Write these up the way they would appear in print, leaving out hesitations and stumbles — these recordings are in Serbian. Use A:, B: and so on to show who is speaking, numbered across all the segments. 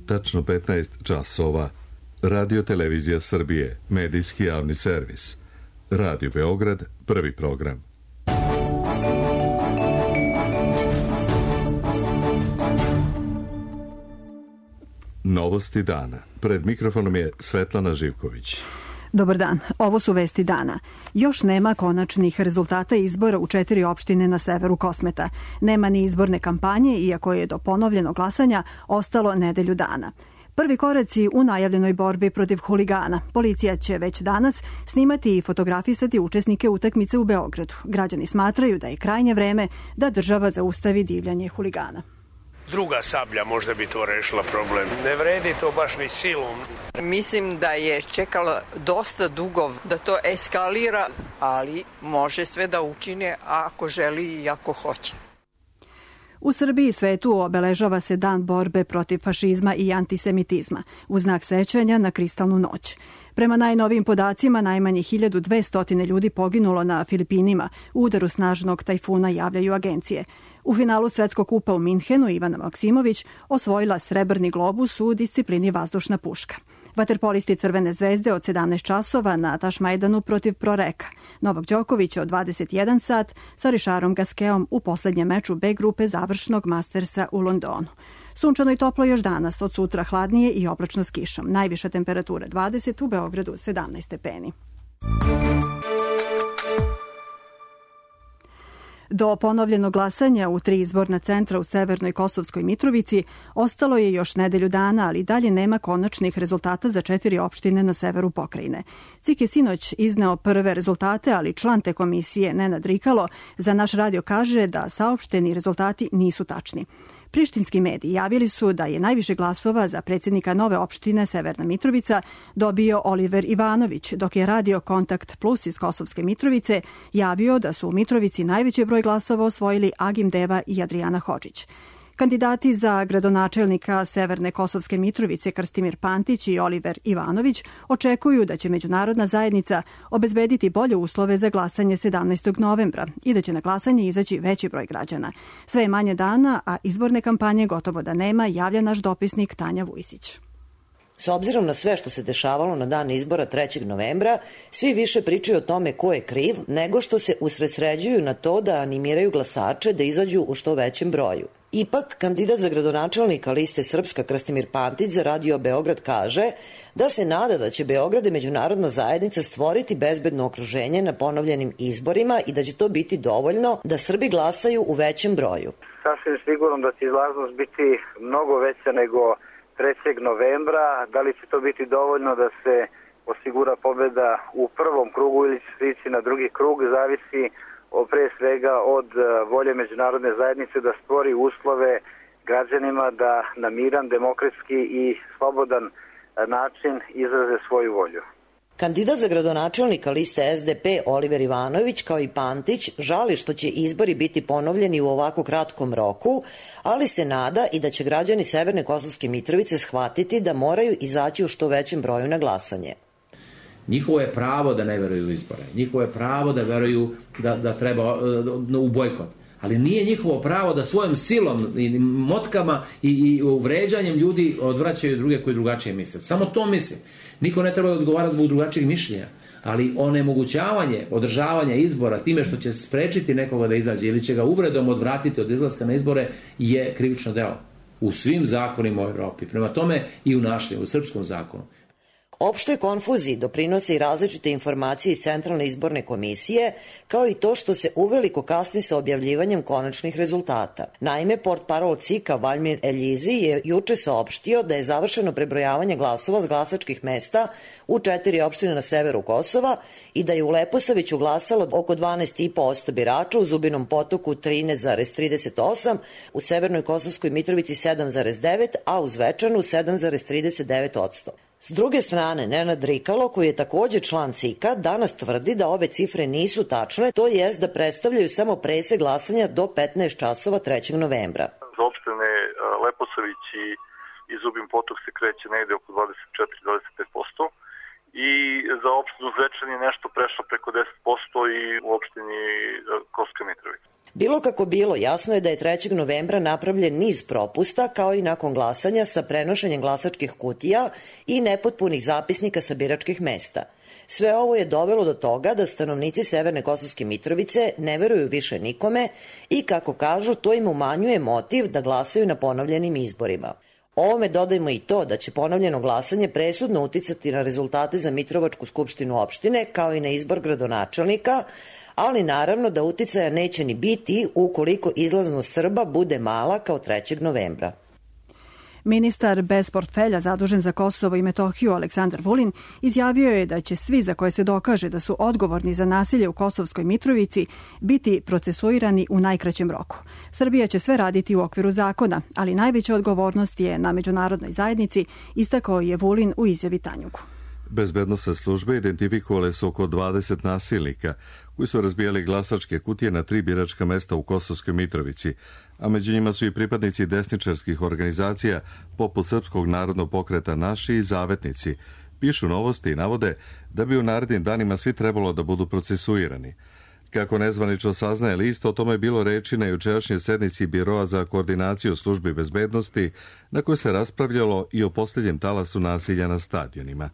A: tačno 15 časova. Radio Televizija Srbije, medijski javni servis. Radio Beograd, prvi program. Novosti dana. Pred mikrofonom je Svetlana Živković.
B: Dobar dan, ovo su vesti dana. Još nema konačnih rezultata izbora u 4 opštine na severu Kosmeta. Nema ni izborne kampanje, iako je do ponovljenog glasanja ostalo nedelju dana. Prvi koraci u najavljenoj borbi protiv huligana. Policija će već danas snimati i fotografisati učesnike utakmice u Beogradu. Građani smatraju da je krajnje vreme da država zaustavi divljanje huligana.
C: Druga sablja možda bi to rešila problem. Ne vredi to baš ni silom.
D: Mislim da je čekalo dosta dugo da to eskalira, ali može sve da učine ako želi i ako hoće.
B: U Srbiji i svetu obeležava se Dan borbe protiv fašizma i antisemitizma, u znak sećanja na Kristalnu noć. Prema najnovijim podacima, najmanje 1200 ljudi poginulo na Filipinima u udaru snažnog tajfuna, javljaju agencije. U finalu Svetskog kupa u Minhenu Ivana Maksimović osvojila srebrni globus u disciplini vazdušna puška. Vaterpolisti Crvene zvezde od 17 časova na Tašmajdanu protiv Proreka. Novak Đoković od 21 sat sa Rišarom Gaskeom u poslednjem meču B grupe završnog Mastersa u Londonu. Sunčano i toplo još danas, od sutra hladnije i oblačno s kišom. Najviša temperatura 20, u Beogradu 17 stepeni. Do ponovljenog glasanja u 3 izborna centra u severnoj Kosovskoj Mitrovici ostalo je još nedelju dana, ali dalje nema konačnih rezultata za 4 opštine na severu pokrajine. CIK je sinoć izneo prve rezultate, ali član te komisije Nenad Rikalo za naš radio kaže da saopšteni rezultati nisu tačni. Prištinski mediji javili su da je najviše glasova za predsjednika nove opštine Severna Mitrovica dobio Oliver Ivanović, dok je Radio Kontakt Plus iz Kosovske Mitrovice javio da su u Mitrovici najveći broj glasova osvojili Agim Deva i Adrijana Hodžić. Kandidati za gradonačelnika Severne Kosovske Mitrovice Krstimir Pantić i Oliver Ivanović očekuju da će međunarodna zajednica obezbediti bolje uslove za glasanje 17. novembra i da će na glasanje izaći veći broj građana. Sve je manje dana, a izborne kampanje gotovo da nema, javlja naš dopisnik Tanja Vujsić.
E: S obzirom na sve što se dešavalo na dan izbora 3. novembra, svi više pričaju o tome ko je kriv, nego što se usredsređuju na to da animiraju glasače da izađu u što većem broju. Ipak, kandidat za gradonačelnika liste Srpska Krstimir Pantić za Radio Beograd kaže da se nada da će Beograd i međunarodna zajednica stvoriti bezbedno okruženje na ponovljenim izborima i da će to biti dovoljno da Srbi glasaju u većem broju.
F: Sasvim sigurno da će izlaznost biti mnogo veća nego 3. novembra. Da li će to biti dovoljno da se osigura pobeda u prvom krugu ili će se ići na drugi krug, zavisi pre svega od volje međunarodne zajednice da stvori uslove građanima da na miran, demokratski i slobodan način izraze svoju volju.
E: Kandidat za gradonačelnika liste SDP Oliver Ivanović kao i Pantić žali što će izbori biti ponovljeni u ovako kratkom roku, ali se nada i da će građani Severne Kosovske Mitrovice shvatiti da moraju izaći u što većem broju na glasanje.
G: Njihovo je pravo da ne veruju u izbore. Njihovo je pravo da veruju da treba u bojkot. Ali nije njihovo pravo da svojom silom i motkama i vređanjem ljudi odvraćaju druge koji drugačije misle. Samo to mislim. Niko ne treba da odgovara zbog drugačijeg mišljenja. Ali onemogućavanje, održavanja izbora time što će sprečiti nekoga da izađe ili će ga uvredom odvratiti od izlaska na izbore je krivično delo. U svim zakonima u Evropi. Prema tome i u našem, u srpskom zakonu.
E: Opštoj konfuziji doprinose i različite informacije iz Centralne izborne komisije, kao i to što se uveliko kasni sa objavljivanjem konačnih rezultata. Naime, portparol CIK-a Valjmir Eljizi je juče saopštio da je završeno prebrojavanje glasova s glasačkih mesta u 4 opštine na severu Kosova i da je u Leposaviću glasalo oko 12,5% birača, u Zubinom Potoku 13,38%, u Severnoj Kosovskoj Mitrovici 7,9%, a u Zvečanu 7,39%. S druge strane, Nenad Rikalo, koji je također član CIK-a, danas tvrdi da ove cifre nisu tačne, to jest da predstavljaju samo presek glasanja do 15 časova 3. novembra.
H: Za opštine Leposavić i Zubin Potok se kreće negde oko 24-25% i za opštinu Zvečan je nešto prešlo preko 10% i u opštini Kosovska Mitrovica.
E: Bilo kako bilo, jasno je da je 3. novembra napravljen niz propusta, kao i nakon glasanja sa prenošenjem glasačkih kutija i nepotpunih zapisnika sa biračkih mesta. Sve ovo je dovelo do toga da stanovnici Severne Kosovske Mitrovice ne veruju više nikome i, kako kažu, to im umanjuje motiv da glasaju na ponovljenim izborima. Ovome dodajmo i to da će ponovljeno glasanje presudno uticati na rezultate za Mitrovačku skupštinu opštine, kao i na izbor gradonačelnika, ali naravno da uticaja neće ni biti ukoliko izlaznost Srba bude mala kao 3. novembra.
B: Ministar bez portfelja zadužen za Kosovo i Metohiju Aleksandar Vulin izjavio je da će svi za koje se dokaže da su odgovorni za nasilje u Kosovskoj Mitrovici biti procesuirani u najkraćem roku. Srbija će sve raditi u okviru zakona, ali najveća odgovornost je na međunarodnoj zajednici, istakao je Vulin u izjavi Tanjugu.
A: Bezbednosne službe identifikovale su oko 20 nasilnika koji su razbijali glasačke kutije na 3 biračka mesta u Kosovskoj Mitrovici, a među njima su i pripadnici desničarskih organizacija poput Srpskog narodnog pokreta Naši i Zavetnici. Pišu Novosti i navode da bi u narednim danima svi trebalo da budu procesuirani. Kako nezvanično saznaje list, o tome je bilo reči na jučerašnjoj sednici Biroa za koordinaciju službi bezbednosti, na kojoj se raspravljalo i o posljednjem talasu nasilja na stadionima.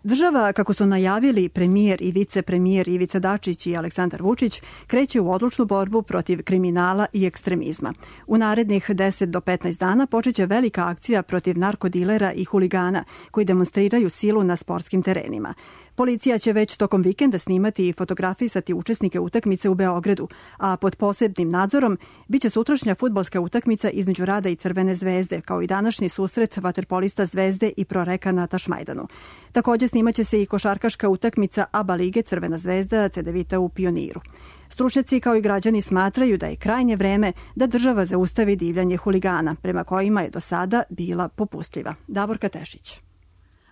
B: Država, kako su najavili premijer i vicepremijer Ivica Dačić i Aleksandar Vučić, kreće u odlučnu borbu protiv kriminala i ekstremizma. U narednih 10 do 15 dana počeće velika akcija protiv narkodilera i huligana koji demonstriraju silu na sportskim terenima. Policija će već tokom vikenda snimati i fotografisati učesnike utakmice u Beogradu, a pod posebnim nadzorom biće sutrašnja fudbalska utakmica između Rada i Crvene zvezde, kao i današnji susret vaterpolista Zvezde i Proreka na Tašmajdanu. Također snimaće se i košarkaška utakmica ABA lige Crvena zvezda Cedevita u Pioniru. Stručnjaci kao i građani smatraju da je krajnje vreme da država zaustavi divljanje huligana, prema kojima je do sada bila popustljiva. Davorka Tešić.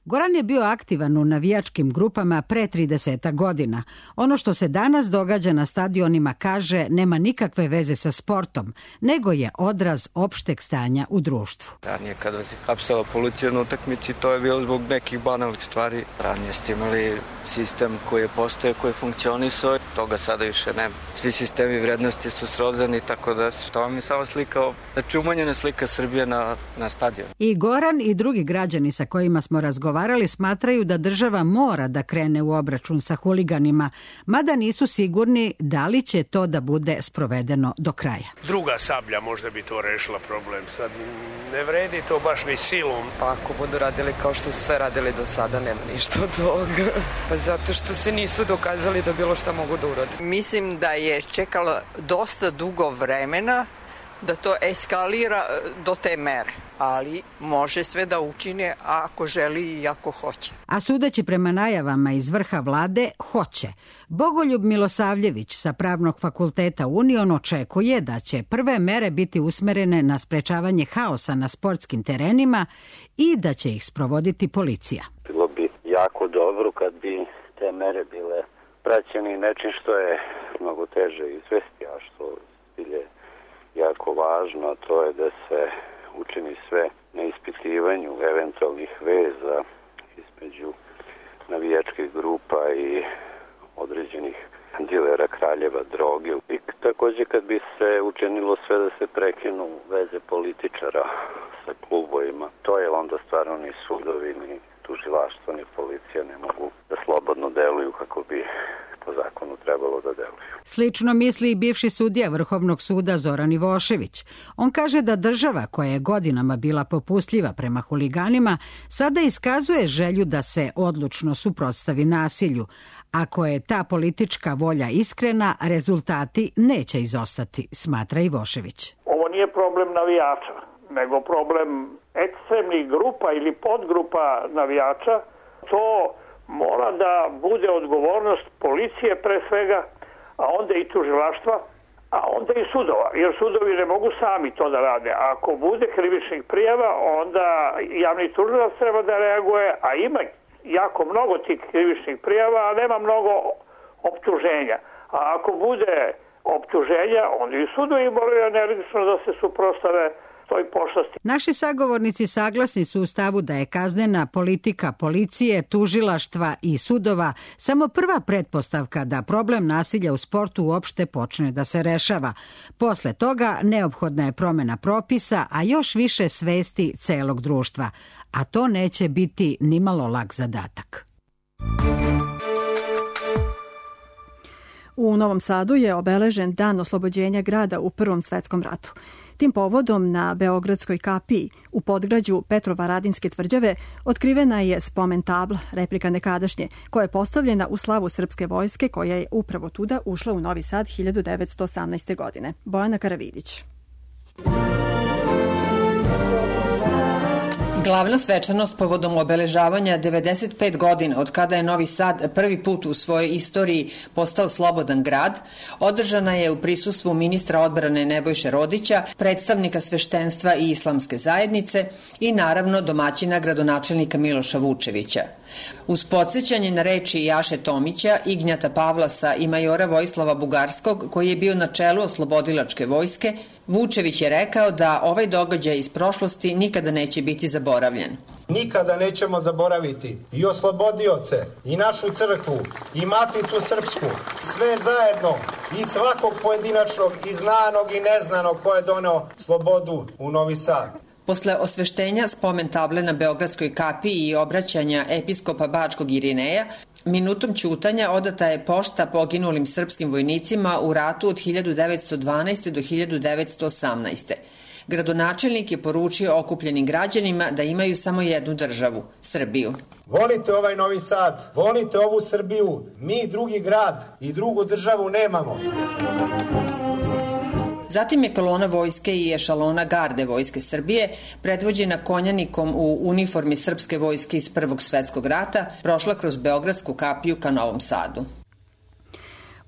I: Goran je bio aktivan u navijačkim grupama pre 30 godina. Ono što se danas događa na stadionima, kaže, nema nikakve veze sa sportom, nego je odraz opšteg stanja u društvu.
J: Ranije kada se hapsala policija na utakmici, to je bilo zbog nekih banalnih stvari. Ranije ste imali sistem koji je postoje, koji je funkcionisao, toga sada više nema. Svi sistemi vrednosti su srozani, tako da što vam je samo slika, znači umanjena slika Srbije na stadionu.
I: I Goran i drugi građani sa kojima smo razgovarali smatraju da država mora da krene u obračun sa huliganima, mada nisu sigurni da li će to da bude sprovedeno do kraja.
C: Druga sablja možda bi to rešila problem. Sad ne vredi to baš ni silom.
K: Pa ako budu radili kao što su sve radili do sada, nema ništa od toga. Pa zato što se nisu dokazali da bilo šta mogu da urade.
D: Mislim da je čekalo dosta dugo vremena da to eskalira do te mere, ali može sve da učine ako želi i ako hoće.
I: A sudeći prema najavama iz vrha vlade, hoće. Bogoljub Milosavljević sa Pravnog fakulteta Union očekuje da će prve mere biti usmerene na sprečavanje haosa na sportskim terenima i da će ih sprovoditi policija.
L: Bilo bi jako dobro kad bi te mere bile praćene nečim što je mnogo teže izvesti, a što je jako važno, to je da se učini sve na ispitivanju eventualnih veza između navijačkih grupa i određenih dilera kraljeva droge. I također kad bi se učinilo sve da se prekinu veze političara sa klubovima, to je onda stvarno ni sudovi, ni tužilaštvo, ni policija ne mogu da slobodno deluju kako bi po zakonu trebalo da deluju.
I: Slično misli i bivši sudija Vrhovnog suda Zoran Ivošević. On kaže da država, koja je godinama bila popustljiva prema huliganima, sada iskazuje želju da se odlučno suprotstavi nasilju. Ako je ta politička volja iskrena, rezultati neće izostati, smatra Ivošević.
M: Ovo nije problem navijača, nego problem ekstremnih grupa ili podgrupa navijača. To mora da bude odgovornost policije pre svega, a onda i tužilaštva, a onda i sudova, jer sudovi ne mogu sami to da rade. A ako bude krivičnih prijava, onda javni tužilac treba da reaguje, a ima jako mnogo tih krivičnih prijava, a nema mnogo optuženja. A ako bude optuženja, onda i sudovi moraju energično da se suprotstave toj pošasti.
I: Naši sagovornici saglasni su u stavu da je kaznena politika policije, tužilaštva i sudova samo prva pretpostavka da problem nasilja u sportu uopšte počne da se rešava. Posle toga neophodna je promena propisa, a još više svesti celog društva. A to neće biti nimalo lak zadatak.
B: U Novom Sadu je obeležen dan oslobođenja grada u Prvom svetskom ratu. Tim povodom na Beogradskoj kapiji u podgrađu Petrovaradinske tvrđave otkrivena je spomen tabla, replika nekadašnje, koja je postavljena u slavu srpske vojske koja je upravo tuda ušla u Novi Sad 1918. godine. Bojana Karavidić.
N: Glavna svečanost povodom obeležavanja 95 godina od kada je Novi Sad prvi put u svojoj istoriji postao slobodan grad, održana je u prisustvu ministra odbrane Nebojše Rodića, predstavnika sveštenstva i islamske zajednice i naravno domaćina gradonačelnika Miloša Vučevića. Uz podsjećanje na reči Jaše Tomića, Ignjata Pavlasa i majora Vojislava Bugarskog, koji je bio na čelu oslobodilačke vojske, Vučević je rekao da ovaj događaj iz prošlosti nikada neće biti zaboravljen.
O: Nikada nećemo zaboraviti i oslobodioce, i našu crkvu, i Maticu Srpsku, sve zajedno i svakog pojedinačnog i znanog i neznanog ko je doneo slobodu u Novi Sad.
N: Posle osveštenja spomen table na Beogradskoj kapiji i obraćanja episkopa Bačkog Irineja, minutom ćutanja odata je pošta poginulim srpskim vojnicima u ratu od 1912. do 1918. Gradonačelnik je poručio okupljenim građanima da imaju samo jednu državu, Srbiju.
O: Volite ovaj Novi Sad, volite ovu Srbiju, mi drugi grad i drugu državu nemamo.
N: Zatim je kolona vojske i ešalona garde Vojske Srbije, predvođena konjanikom u uniformi srpske vojske iz Prvog svetskog rata, prošla kroz Beogradsku kapiju ka Novom Sadu.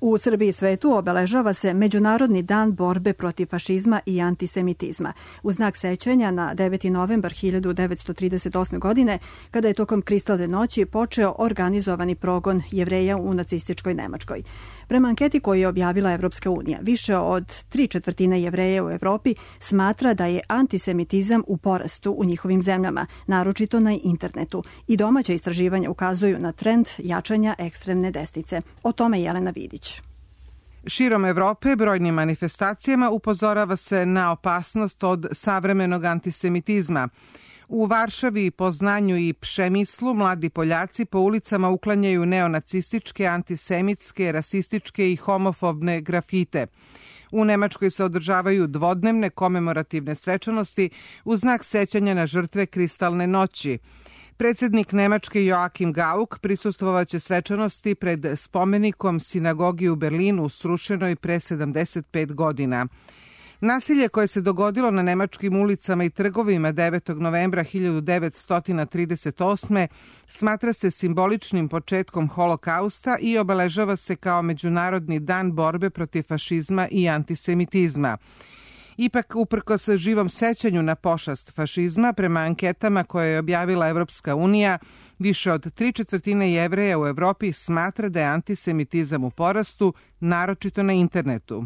B: U Srbiji i svetu obeležava se Međunarodni dan borbe protiv fašizma i antisemitizma, u znak sećanja na 9. novembar 1938. godine, kada je tokom Kristalne noći počeo organizovani progon Jevreja u nacističkoj Nemačkoj. Prema anketi koju je objavila Evropska unija, više od 3/4 Jevreja u Evropi smatra da je antisemitizam u porastu u njihovim zemljama, naročito na internetu, i domaća istraživanja ukazuju na trend jačanja ekstremne desnice. O tome Jelena Vidić.
P: Širom Evrope brojnim manifestacijama upozorava se na opasnost od savremenog antisemitizma. U Varšavi, Poznanju i Pšemislu mladi Poljaci po ulicama uklanjaju neonacističke, antisemitske, rasističke i homofobne grafite. U Nemačkoj se održavaju dvodnevne komemorativne svečanosti u znak sećanja na žrtve Kristalne noći. Predsjednik Nemačke Joachim Gauck prisustvovaće svečanosti pred spomenikom sinagogi u Berlinu srušenoj pre 75 godina. Nasilje koje se dogodilo na nemačkim ulicama i trgovima 9. novembra 1938. smatra se simboličnim početkom holokausta i obeležava se kao Međunarodni dan borbe protiv fašizma i antisemitizma. Ipak, uprkos živom sećanju na pošast fašizma, prema anketama koje je objavila Evropska unija, više od 3/4 Jevreja u Evropi smatra da je antisemitizam u porastu, naročito na internetu.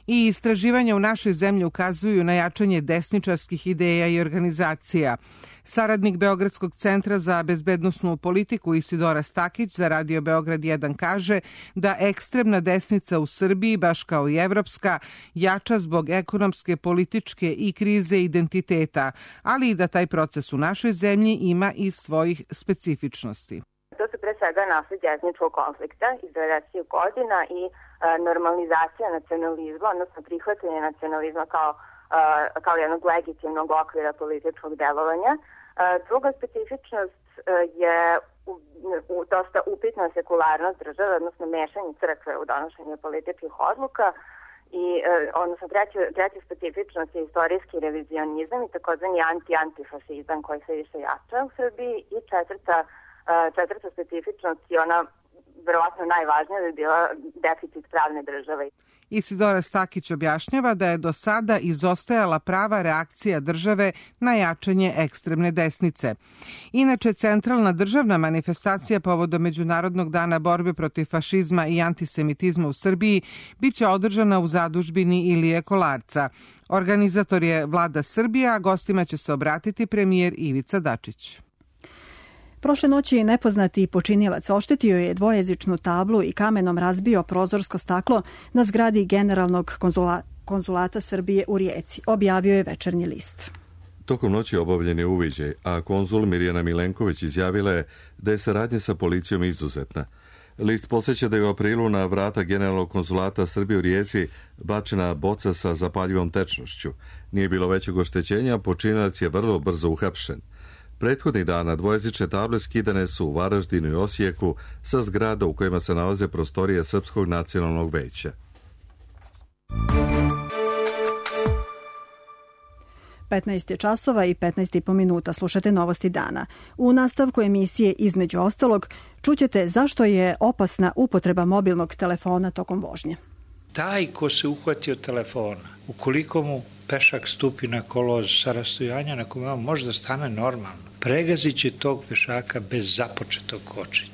P: I istraživanja u našoj zemlji ukazuju na jačanje desničarskih ideja i organizacija. Saradnik Beogradskog centra za bezbednosnu politiku Isidora Stakić za Radio Beograd 1 kaže da ekstremna desnica u Srbiji, baš kao i evropska, jača zbog ekonomske, političke i krize identiteta, ali i da taj proces u našoj zemlji ima i svojih specifičnosti.
Q: To su pre svega nasljeđe etničkog konflikta iz 90. godina i normalizacija nacionalizma, odnosno prihvatanje nacionalizma kao jednog legitimnog okvira političkog delovanja. Druga specifičnost je dosta upitna sekularnost države, odnosno mešanje crkve u donošenje političkih odluka. I, odnosno treća specifičnost je istorijski revizionizam i takozvani antifašizam koji se više jača u Srbiji. I četvrta specifičnost je ona verovatno najvažnija bi bila deficit pravne države.
P: Isidora Stakić objašnjava da je do sada izostajala prava reakcija države na jačanje ekstremne desnice. Inače, centralna državna manifestacija povodom Međunarodnog dana borbe protiv fašizma i antisemitizma u Srbiji biće održana u zadužbini Ilije Kolarca. Organizator je Vlada Srbija, a gostima će se obratiti premijer Ivica Dačić.
B: Prošle noći nepoznati počinilac oštetio je dvojezičnu tablu i kamenom razbio prozorsko staklo na zgradi Generalnog konzulata Srbije u Rijeci, objavio je Večernji list.
A: Tokom noći obavljen je uviđaj, a konzul Mirjana Milenković izjavila je da je saradnja sa policijom izuzetna. List podsjeća da je u aprilu na vrata Generalnog konzulata Srbije u Rijeci bačena boca sa zapaljivom tečnošću. Nije bilo većeg oštećenja, počinilac je vrlo brzo uhapšen. Prethodnih dana dvojezične table skidane su u Varaždinu i Osijeku sa zgrada u kojima se nalaze prostorije Srpskog nacionalnog veća.
B: Je časova i 15,5 minuta. Slušate Novosti dana. U nastavku emisije između ostalog čućete zašto je opasna upotreba mobilnog telefona tokom vožnje.
R: Taj ko se uhvatio telefona, ukoliko mu pešak stupi na kolo sa rastojanja na kome on može da stane normalno, pregazit će tog pešaka bez započetog kočenja.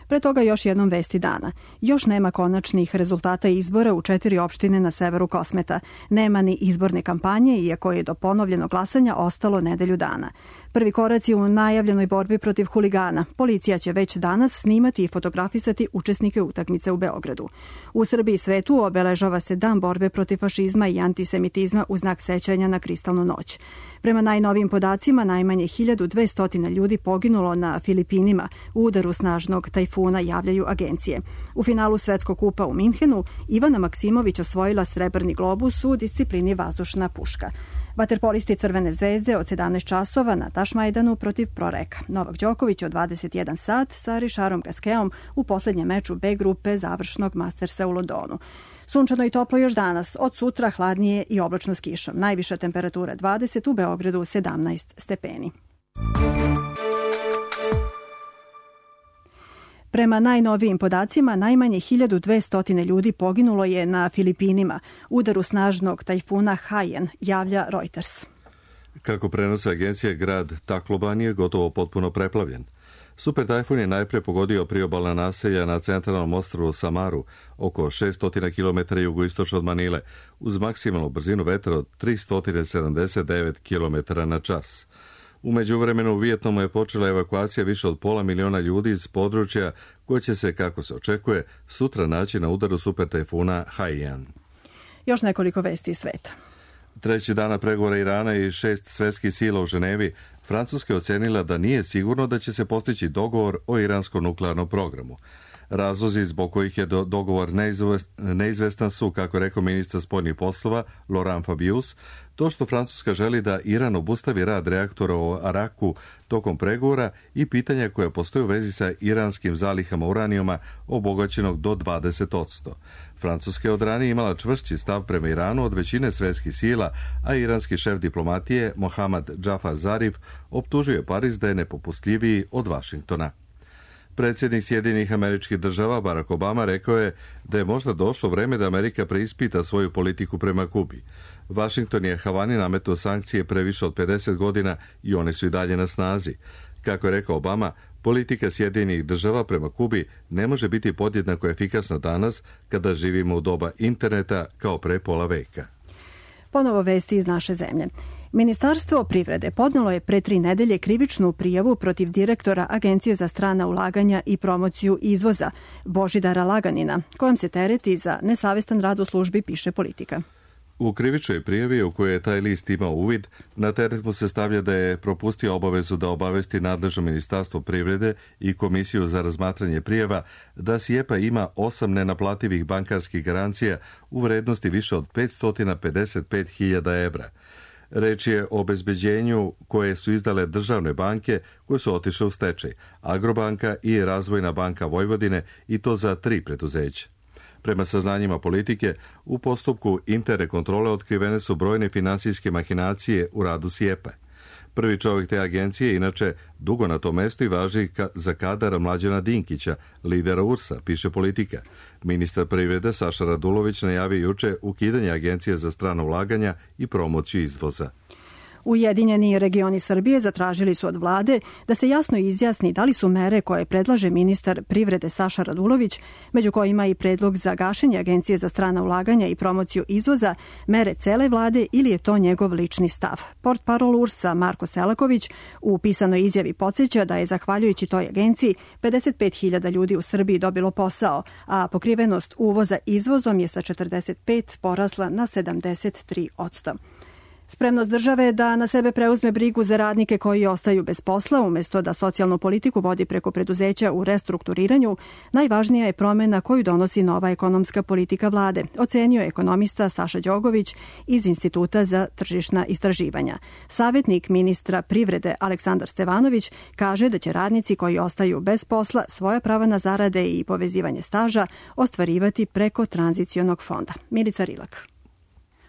B: Pre toga još jednom vesti dana. Još nema konačnih rezultata izbora u 4 opštine na severu Kosmeta. Nema ni izborne kampanje, iako je do ponovljenog glasanja ostalo nedelju dana. Prvi koraci u najavljenoj borbi protiv huligana. Policija će već danas snimati i fotografisati učesnike utakmice u Beogradu. U Srbiji i svetu obeležava se Dan borbe protiv fašizma i antisemitizma u znak sećanja na Kristalnu noć. Prema najnovijim podacima, najmanje 1200 ljudi poginulo na Filipinima u udaru snažnog tajfuna, javljaju agencije. U finalu Svetskog kupa u Minhenu Ivana Maksimović osvojila srebrni globus u disciplini vazdušna puška. Vaterpolisti Crvene zvezde od 17 časova na Tašmajdanu protiv Proreka. Novak Đoković od 21 sat sa Rišarom Gaskeom u poslednjem meču B grupe završnog Mastersa u Londonu. Sunčano i toplo još danas, od sutra hladnije i oblačno s kišom. Najviša temperatura 20, u Beogradu 17 stepeni. Prema najnovijim podacima, najmanje 1200 ljudi poginulo je na Filipinima u udaru snažnog tajfuna Haiyan, javlja Reuters.
A: Kako prenose agencije, grad Tacloban je gotovo potpuno preplavljen. Super tajfun je najpre pogodio priobalna naselja na centralnom ostrvu Samaru, oko 600 km jugoistočno od Manile, uz maksimalnu brzinu vetra od 379 km na čas. U međuvremenu u Vijetnamu je počela evakuacija više od 500.000 ljudi iz područja koje će se, kako se očekuje, sutra naći na udaru super tajfuna Haiyan.
B: Još nekoliko vesti iz sveta.
A: Treći dana pregovora Irana i 6 svetskih sila u Ženevi, Francuska je ocenila da nije sigurno da će se postići dogovor o iranskom nuklearnom programu. Razlozi zbog kojih je dogovor neizvestan su, kako rekao ministar spoljnih poslova Laurent Fabius, to što Francuska želi da Iran obustavi rad reaktora u Araku tokom pregovora i pitanja koje postoje u vezi sa iranskim zalihama uranijuma obogaćenog do 20%. Francuska je od ranije imala čvršći stav prema Iranu od većine svetskih sila, a iranski šef diplomatije Mohammad Jafar Zarif optužuje Pariz da je nepopustljiviji od Vašingtona. Predsjednik Sjedinjenih Američkih Država Barack Obama rekao je da je možda došlo vreme da Amerika preispita svoju politiku prema Kubi. Vašington je Havani nametnuo sankcije pre više od 50 godina i one su i dalje na snazi. Kako je rekao Obama, politika Sjedinjenih Država prema Kubi ne može biti podjednako efikasna danas kada živimo u doba interneta kao pre pola veka.
B: Ponovo vesti iz naše zemlje. Ministarstvo privrede podnelo je pre 3 nedelje krivičnu prijavu protiv direktora Agencije za strana ulaganja i promociju izvoza Božidara Laganina, kojom se tereti za nesavestan rad u službi, piše Politika.
A: U krivičnoj prijavi u kojoj je taj list imao uvid, na teret mu se stavlja da je propustio obavezu da obavesti nadležno Ministarstvo privrede i Komisiju za razmatranje prijava da SIEPA ima 8 nenaplativih bankarskih garancija u vrednosti više od 555.000 evra. Reč je o obezbeđenju koje su izdale državne banke koje su otišle u stečaj, Agrobanka i Razvojna banka Vojvodine, i to za 3 preduzeća. Prema saznanjima Politike, u postupku interne kontrole otkrivene su brojne finansijske mahinacije u radu SIEPA. Prvi čovjek te agencije je inače dugo na tom mestu i važi za kadar Mlađana Dinkića, lidera URS-a, piše Politika. Ministar privrede Saša Radulović najavio juče ukidanje Agencije za strana ulaganja i promociju izvoza.
B: Ujedinjeni regioni Srbije zatražili su od vlade da se jasno izjasni da li su mere koje predlaže ministar privrede Saša Radulović, među kojima i predlog za gašenje Agencije za strana ulaganja i promociju izvoza, mere cele vlade ili je to njegov lični stav. Portparol URS-a Marko Selaković u pisanoj izjavi podsjeća da je zahvaljujući toj agenciji 55.000 ljudi u Srbiji dobilo posao, a pokrivenost uvoza izvozom je sa 45 porasla na 73%. Spremnost države da na sebe preuzme brigu za radnike koji ostaju bez posla, umjesto da socijalnu politiku vodi preko preduzeća u restrukturiranju, najvažnija je promjena koju donosi nova ekonomska politika vlade, ocenio je ekonomista Saša Đogović iz Instituta za tržišna istraživanja. Savjetnik ministra privrede Aleksandar Stevanović kaže da će radnici koji ostaju bez posla svoja prava na zarade i povezivanje staža ostvarivati preko tranzicionog fonda. Milica Rilak.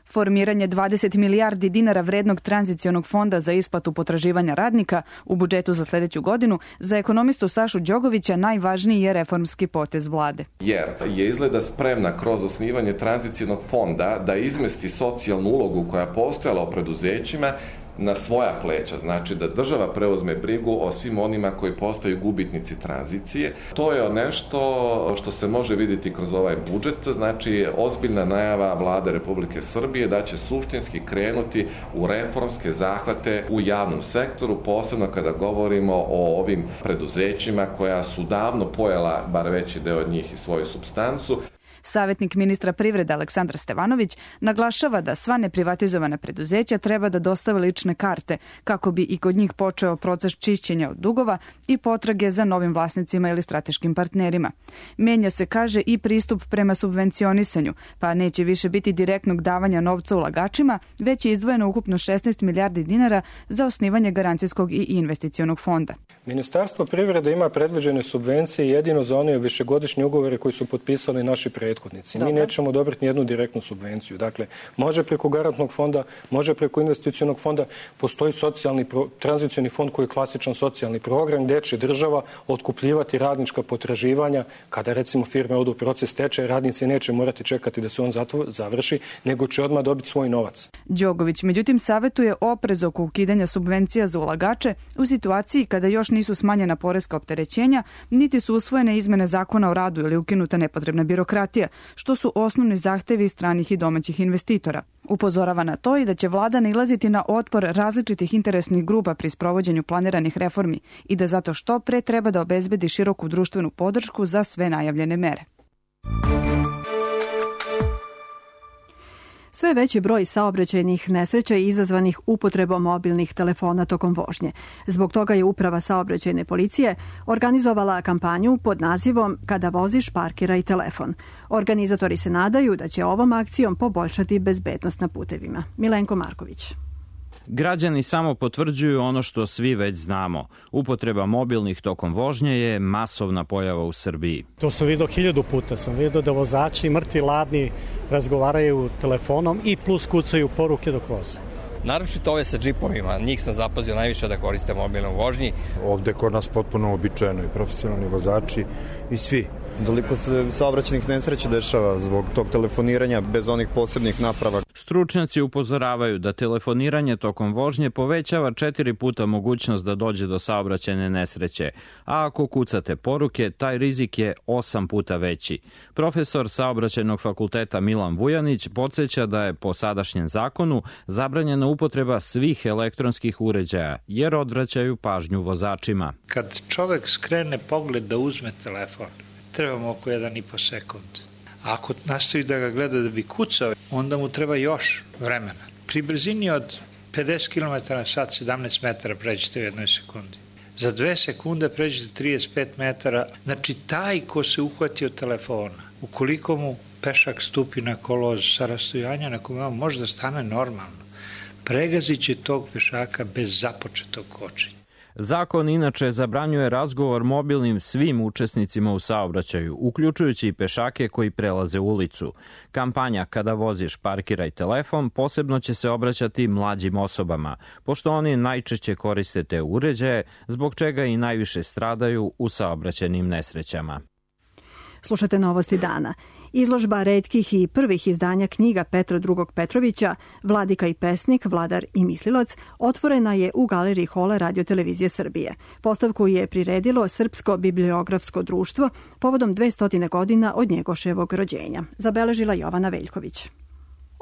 S: Formiranje 20 milijardi dinara vrednog tranzicionog fonda za isplatu potraživanja radnika u budžetu za sljedeću godinu za ekonomistu Sašu Đogovića najvažniji je reformski potez vlade.
T: Jer je izgleda spremna kroz osnivanje tranzicionog fonda da izmesti socijalnu ulogu koja je postojala u preduzećima na svoja pleća, znači da država preuzme brigu o svim onima koji postaju gubitnici tranzicije. To je nešto što se može vidjeti kroz ovaj budžet, znači ozbiljna najava vlade Republike Srbije da će suštinski krenuti u reformske zahvate u javnom sektoru, posebno kada govorimo o ovim preduzećima koja su davno pojela, bar veći deo od njih, i svoju supstancu.
S: Savjetnik ministra privrede Aleksandar Stevanović naglašava da sva neprivatizovana preduzeća treba da dostave lične karte kako bi i kod njih počeo proces čišćenja od dugova i potrage za novim vlasnicima ili strateškim partnerima. Menja se, kaže, i pristup prema subvencionisanju, pa neće više biti direktnog davanja novca ulagačima, već je izdvojeno ukupno 16 milijardi dinara za osnivanje garancijskog i investicionog fonda.
U: Ministarstvo privrede ima predviđene subvencije jedino za one višegodišnje ugovore koji su potpisali naši prethodnici. Mi nećemo odobriti nijednu direktnu subvenciju. Dakle, može preko garantnog fonda, može preko investicionog fonda, postoji tranzicioni fond koji je klasičan socijalni program gdje će država otkupljivati radnička potraživanja. Kada recimo firme odu u proces stečaja, radnici neće morati čekati da se on završi, nego će odmah dobiti svoj novac.
S: Đogović, međutim, savjetuje oprez oko ukidanja subvencija za ulagače u situaciji kada još nisu smanjena poreska opterećenja, niti su usvojene izmene zakona o radu ili ukinuta nepotrebna birokratija, što su osnovni zahtevi stranih i domaćih investitora. Upozorava na to i da će vlada nailaziti na otpor različitih interesnih grupa pri sprovođenju planiranih reformi i da zato što pre treba da obezbedi široku društvenu podršku za sve najavljene mere.
B: Sve veći broj saobraćajnih nesreća je izazvanih upotrebom mobilnih telefona tokom vožnje. Zbog toga je Uprava saobraćajne policije organizovala kampanju pod nazivom Kada voziš, parkiraj telefon. Organizatori se nadaju da će ovom akcijom poboljšati bezbednost na putevima. Milenko Marković.
V: Građani samo potvrđuju ono što svi već znamo. Upotreba mobilnih tokom vožnje je masovna pojava u Srbiji.
W: To sam vidio 1000 puta. Sam vidio da vozači mrtvi ladni razgovaraju telefonom i plus kucaju poruke dok voze.
X: Naročito ove sa džipovima. Njih sam zapazio najviše da koriste mobilne u vožnji.
Y: Ovde kod nas potpuno običajno i profesionalni vozači i svi.
Z: Toliko se saobraćajnih nesreća dešava zbog tog telefoniranja bez onih posebnih naprava.
V: Stručnjaci upozoravaju da telefoniranje tokom vožnje povećava 4 puta mogućnost da dođe do saobraćajne nesreće, a ako kucate poruke, taj rizik je 8 puta veći. Profesor Saobraćajnog fakulteta Milan Vujanić podsjeća da je po sadašnjem zakonu zabranjena upotreba svih elektronskih uređaja, jer odvraćaju pažnju vozačima.
R: Kad čovek skrene pogled da uzme telefon, trebamo oko 1,5 sekund. A ako nastavi da ga gleda da bi kucao, onda mu treba još vremena. Pri brzini od 50 km na sat 17 metara pređete u 1 sekundi. Za 2 sekunde pređete 35 metara. Znači, taj ko se uhvati od telefona, ukoliko mu pešak stupi na kolo sa rastojanja na kome on može da stane normalno, pregazit će tog pešaka bez započetog kočenja.
V: Zakon inače zabranjuje razgovor mobilnim svim učesnicima u saobraćaju, uključujući i pešake koji prelaze ulicu. Kampanja "Kada voziš, parkiraj telefon" posebno će se obraćati mlađim osobama, pošto oni najčešće koriste te uređaje, zbog čega i najviše stradaju u saobraćajnim nesrećama.
B: Slušate Novosti dana. Izložba retkih i prvih izdanja knjiga Petra II. Petrovića, Vladika i pesnik, vladar i mislilac, otvorena je u galeriji Hola Radio-televizije Srbije. Postavku je priredilo Srpsko bibliografsko društvo povodom 200 godina od Njegoševog rođenja. Zabeležila Jovana Veljković.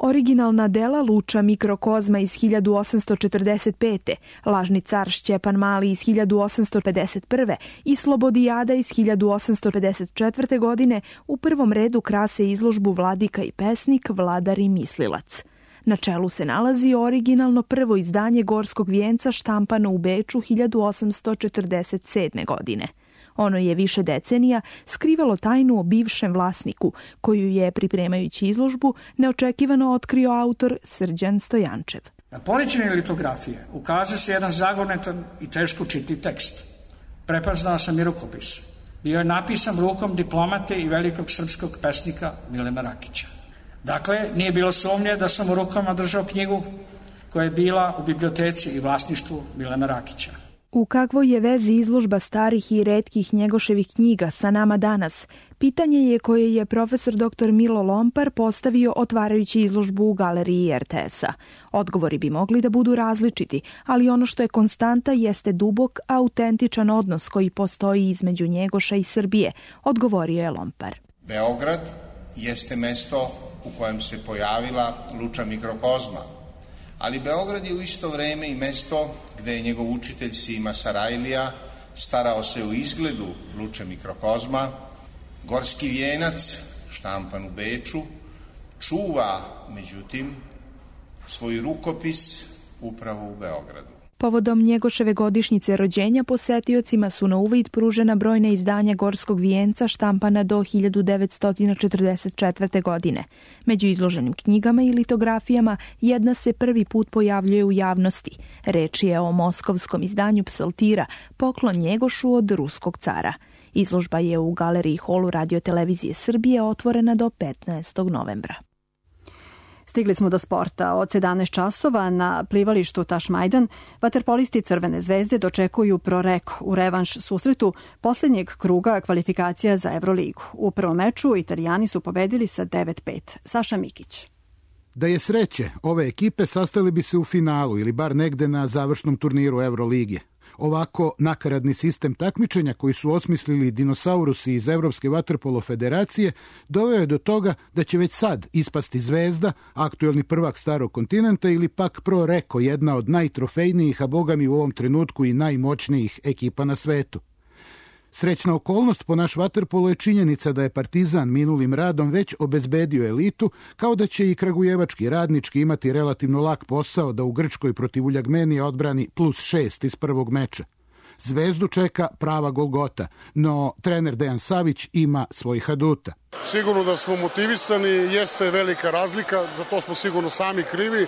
C: Originalna dela Luča Mikrokozma iz 1845. Lažni car Šćepan Mali iz 1851. i Slobodijada iz 1854. godine u prvom redu krase izložbu Vladika i pesnik, vladar i mislilac. Na čelu se nalazi originalno prvo izdanje Gorskog vijenca štampano u Beču 1847. godine. Ono je više decenija skrivalo tajnu o bivšem vlasniku, koju je, pripremajući izložbu, neočekivano otkrio autor Srđan Stojančev.
E: Na polećini litografije ukazuje se jedan zagonetan i teško čitni tekst. Prepoznao sam i rukopis. Bio je napisan rukom diplomate i velikog srpskog pesnika Milena Rakića. Dakle, nije bilo sumnje da sam u rukama držao knjigu koja je bila u biblioteci i vlasništvu Milena Rakića.
C: U kakvoj je vezi izložba starih i retkih Njegoševih knjiga sa nama danas? Pitanje je koje je profesor dr. Milo Lompar postavio otvarajući izložbu u galeriji RTS-a. Odgovori bi mogli da budu različiti, ali ono što je konstanta jeste dubok, autentičan odnos koji postoji između Njegoša i Srbije, odgovorio je Lompar.
F: Beograd jeste mesto u kojem se pojavila Luča Mikrokozma, ali Beograd je u isto vreme i mesto gde je njegov učitelj Sima Sarajlija starao se o izgledu Luče Mikrokozma. Gorski vijenac, štampan u Beču, čuva, međutim, svoj rukopis upravo u Beogradu.
C: Povodom Njegoševe godišnjice rođenja posetiocima su na uvid pružena brojna izdanja Gorskog vijenca štampana do 1944. godine. Među izloženim knjigama i litografijama jedna se prvi put pojavljuje u javnosti. Reč je o moskovskom izdanju Psaltira, poklon Njegošu od ruskog cara. Izložba je u galeriji Holu Radio-televizije Srbije otvorena do 15. novembra.
B: Stigli smo do sporta. Od 17 časova na plivalištu Tašmajdan vaterpolisti Crvene zvezde dočekuju Prorek u revanš susretu posljednjeg kruga kvalifikacija za Euroligu. U prvom meču Italijani su pobedili sa 9-5. Saša Mikić.
G: Da je sreće, ove ekipe sastali bi se u finalu ili bar negde na završnom turniru Euroligije. Ovako nakaradni sistem takmičenja koji su osmislili dinosaurusi iz Evropske vaterpolo federacije doveo je do toga da će već sad ispasti Zvezda, aktuelni prvak starog kontinenta, ili pak Pro Reko, jedna od najtrofejnijih, a bogami u ovom trenutku i najmoćnijih ekipa na svetu. Srećna okolnost po naš vaterpolo je činjenica da je Partizan minulim radom već obezbedio elitu, kao da će i kragujevački Radnički imati relativno lak posao da u Grčkoj protiv Uljagmenija odbrani +6 iz prvog meča. Zvezdu čeka prava golgota, no trener Dejan Savić ima svojih aduta.
H: Sigurno da smo motivisani, jeste velika razlika, za to smo sigurno sami krivi,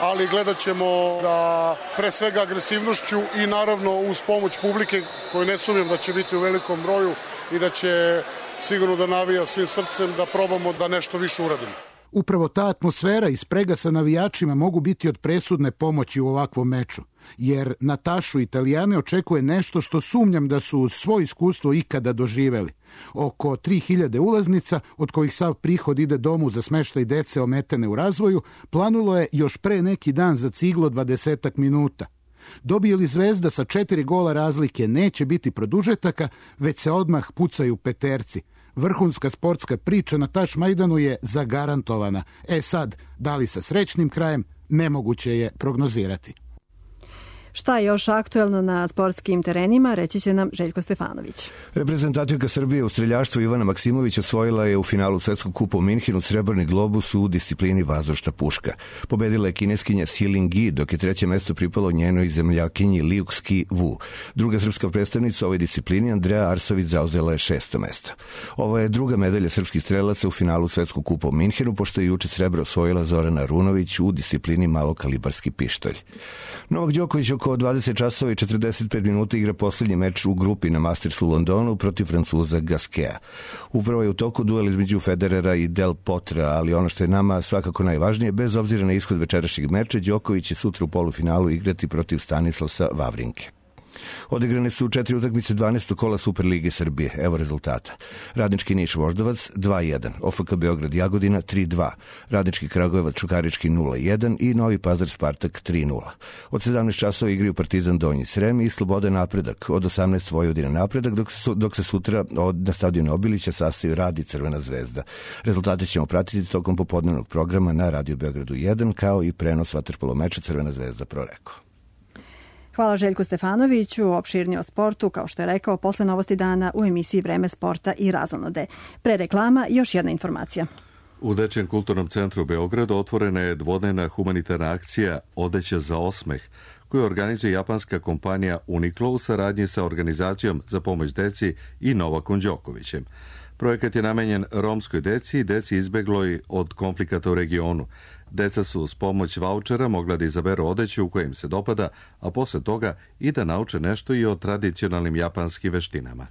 H: ali gledat ćemo da pre svega agresivnošću i naravno uz pomoć publike, koju ne sumnjam da će biti u velikom broju i da će sigurno da navija svim srcem, da probamo da nešto više uradimo.
G: Upravo ta atmosfera i sprega sa navijačima mogu biti od presudne pomoći u ovakvom meču, jer Natašu Italijane očekuje nešto što sumnjam da su uz svoje iskustvo ikada doživeli. Oko 3000 ulaznica, od kojih sav prihod ide domu za smeštaj dece ometene u razvoju, planulo je još pre neki dan za ciglo 20 minuta. Dobije li Zvezda sa 4 gola razlike, neće biti produžetaka, već se odmah pucaju peterci. Vrhunska sportska priča na Tašmajdanu je zagarantovana. Sad, da li sa srećnim krajem, nemoguće je prognozirati.
B: Šta je još aktuelno na sportskim terenima, reći će nam Željko Stefanović.
J: Reprezentativka Srbije u streljaštvu Ivana Maksimović osvojila je u finalu Svetskog kupa u Minhenu srebrni globus u disciplini vazdušna puška. Pobedila je kineskinja Siling Gi, dok je treće mesto pripalo njenoj zemljakinji Liuxki Wu. Druga srpska predstavnica u ovoj disciplini, Andreja Arsović, zauzela je 6. mesto. Ovo je druga medalja srpskih strelaca u finalu Svetskog kupa u Minhenu, pošto je juče srebro osvojila Zorana Runović u disciplini malokalibarski pištolj. Novak Đoković oko oko 20 časova i 45 minuta igra poslednji meč u grupi na Mastersu u Londonu protiv Francuza Gasqueta. Upravo je u toku duel između Federera i Del Potra, ali ono što je nama svakako najvažnije, bez obzira na ishod večerašnjeg meča, Đoković će sutra u polufinalu igrati protiv Stanislasa Wawrinke. Odigrane su 4 utakmice 12. kola Superlige Srbije. Evo rezultata. Radnički Niš Voždovac 2-1, OFK Beograd Jagodina 3-2, Radnički Kragujevac Čukarički 0-1 i Novi Pazar Spartak 3-0. Od 17 časova igraju Partizan Donji Srem i Sloboda Napredak, od 18 Vojvodina Napredak, dok se sutra na stadionu Obilića sastaju Rad i Crvena zvezda. Rezultate ćemo pratiti tokom popodnevnog programa na Radio Beogradu 1, kao i prenos vaterpolo meča Crvena zvezda Proreko.
B: Hvala Željku Stefanoviću, opširnije o sportu, kao što je rekao, posle novosti dana u emisiji Vreme sporta i razonode. Pre reklama još jedna informacija.
A: U Dečijem kulturnom centru u Beogradu otvorena je dvodnevna humanitarna akcija Odeća za osmeh, koju organizuje japanska kompanija Uniqlo u saradnji sa organizacijom za pomoć deci i Novakom Đokovićem. Projekat je namenjen romskoj deci i deci izbegloj od konflikata u regionu. Deca su uz pomoć vaučera mogla da izaberu odeću u kojem se dopada, a posle toga i da nauče nešto i o tradicionalnim japanskim veštinama.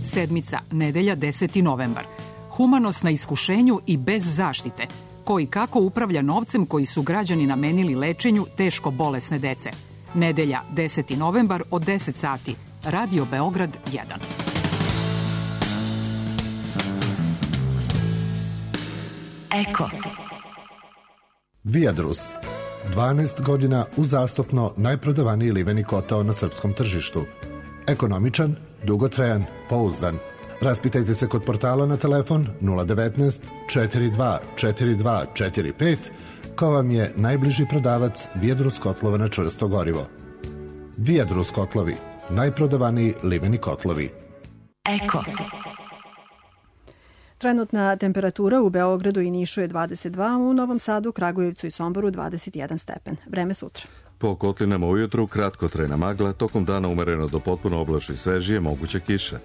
D: Sedmica, nedelja 10. novembar. Humanost na iskušenju i bez zaštite. Ko i kako upravlja novcem koji su građani namenili lečenju teško bolesne dece. Nedelja 10. novembar od 10 sati. Radio Beograd 1.
I: Eko. Viadrus. 12 godina uzastopno najprodavaniji liveni kotao na srpskom tržištu. Ekonomičan, dugotrajan, pouzdan. Raspitajte se kod portala na telefon 019 42 42 45, ko vam je najbliži prodavac Viadrus kotlova na čvrsto gorivo. Viadrus kotlovi, najprodavaniji liveni kotlovi. Eko.
B: Trenutna temperatura u Beogradu i Nišu je 22, u Novom Sadu, Kragujevcu i Somboru 21 stepen. Vreme sutra.
A: Po kotlinama ujutru kratkotrajna magla, tokom dana umereno do potpuno oblačno i svežije, moguća kiša.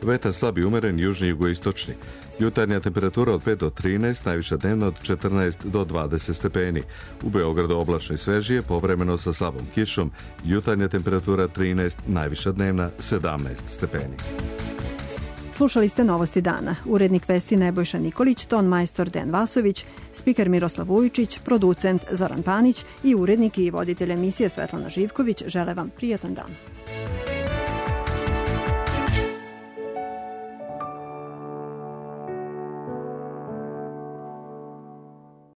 A: Vetar slab i umeren, južni i jugoistočni. Jutarnja temperatura od 5 do 13, najviša dnevna od 14 do 20 stepeni. U Beogradu oblačno i svežije, povremeno sa slabom kišom. Jutarnja temperatura 13, najviša dnevna 17 stepeni.
B: Slušali ste novosti dana. Urednik vesti Nebojša Nikolić, ton majstor Den Vasović, spiker Miroslav Vujičić, producent Zoran Panić i urednik i voditelj emisije Svetlana Živković žele vam prijatan dan.